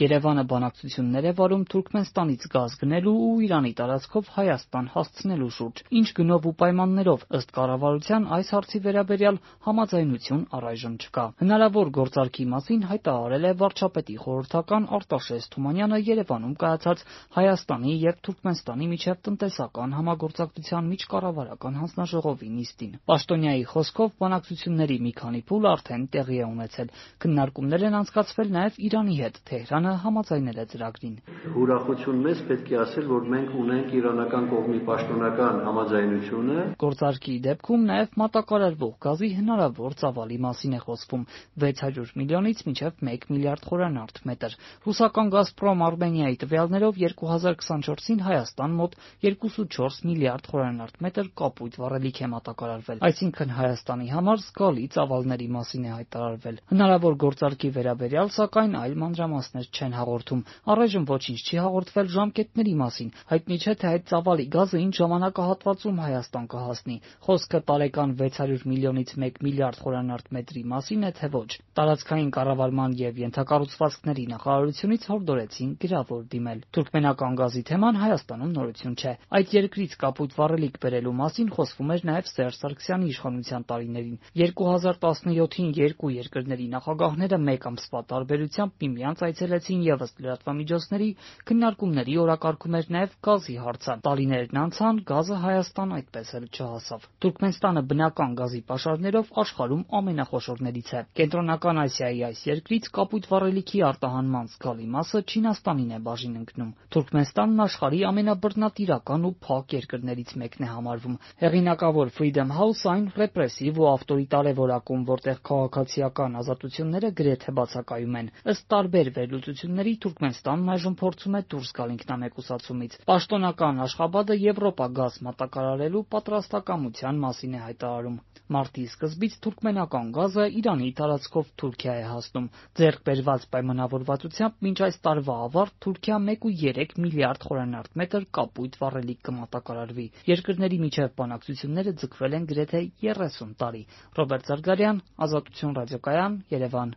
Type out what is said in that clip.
Երևանը բանակցություններ է վարում Թուրքմենստանից գազ գնելու ու Իրանի տարածքով Հայաստան հասցնելու շուրջ։ Ինչ գնով ու պայմաններով, ըստ կառավարության, այս հարցի վերաբերյալ համաձայնություն առայժմ չկա։ Հնարավոր գործարքի մասին հայտարարել է վարչապետի խորհրդական Արտաշես Թումանյանը Երևանում կայացած Հայաստանի եւ Թուրքմենստանի միջև տնտեսական համագործակցության միջկառավարական հանձնաժողովի նիստին։ Պաշտոնյայի խոսքով բանակցությունների մի քանի փուլ արդեն տեղի է ունեցել։ Քննարկումներ են անցկացվել նաեւ Իրանի հետ, Թեհրանը համաձայնել է ծրագրին։ Ուրախություն մեծ պետք է ասել, որ մենք ունենք իրանական կողմի պաշտոնական համաձայնությունը։ Գործարքի դեպքում նաեւ մատակարարվող գազի հնարավոր ծավալի մասին է խոսվում՝ 600 միլիոնից մինչև 1 միլիարդ խորանարդ մետր։ Ռուսական Գազպրոմ Արմենիայի տվյալներով 2024-ին Հայաստան մոտ 2.4 միլիարդ խորանարդ մետր կապույտ վառելիք է մատակարարվել, այսինքն Հայաստանի համար զգալի ծավալների մասին է հայտարարվել։ Հնարավոր գործարքի վերաբերյալ, սակայն, այլ մանրամասներ չեն հաղորդում։ Առայժմ ոչինչ չի հաղորդվել ժամկետների մասին։ Հայտնի չէ, թե այդ ծավալի գազը ինչ ժամանակահատվածում Հայաստան կհասնի։ Խոսքը տարեկան 600 միլիոնից 1 միլիարդ խորանարդ մետրի մասին է, թե ոչ։ Տարածքային կառավարման եւ ենթակառուցվածքների նախարարությունից հորդորեցին գրավոր դիմել։ Թուրքմենական գազի թեման Հայաստանում նորություն չէ։ Այդ երկրից կապույտ վառելիք բերելու մասին խոսվում էր նաեւ Սերժ Սարգսյանի իշխանության տարիներին։ 2017-ին երկու երկրների նախագահները մեկ ամսվա տարբերությամբ միմյանց այցելեցին եւս լրատվամիջոցների, քննարկումների օրակարգում էր նաեւ գազի հարցը։ Տարիներն անցան, գազը Հայաստան այդպես էլ չհասավ։ Թուրքմենստանը բնական գազի պաշարներով աշխարհում ամենախոշորներից է։ Կենտրոնական Ասիայի այս երկրից կապույտ վառելիքի արտահանման զգալի մասը Չինաստանին է բաժին ընկնում։ Թուրքմենստանն աշխարհի ամենաբռնատիրական ու փակ երկրներից մեկն է համարվում։ Հեղինակավոր Freedom House այն ռեպրեսիվ ու ավտորիտար է որակում, որտեղ քաղաքացիական ազատությունները գրեթե բացակայում են։ Ըստ տարբեր վերլուծությունների Թուրքմենստանն այժմ փորձում է դուրս գալ ինքնամեկուսացումից։ Պաշտոնական Աշխաբադը Եվրոպա գազ մատակարարելու պատրաստակամության մասին է հայտարարում։ Մարտի սկզբից թուրքմենական գազը Իրանի տարածքով Թուրքիա է հասնում։ Ձեռք բերված պայմանավորվածությամբ մինչ այս տարվա ավարտ Թուրքիա 1.3 միլիարդ խորանարդ մետր կապույտ վառելիք կմատակարարվի։ Երկրների միջև բանակցությունները ձգվել են գրեթե 30 տարի։ Ռոբերտ Զարգարյան, Ազատություն ռադիոկայան, Երևան։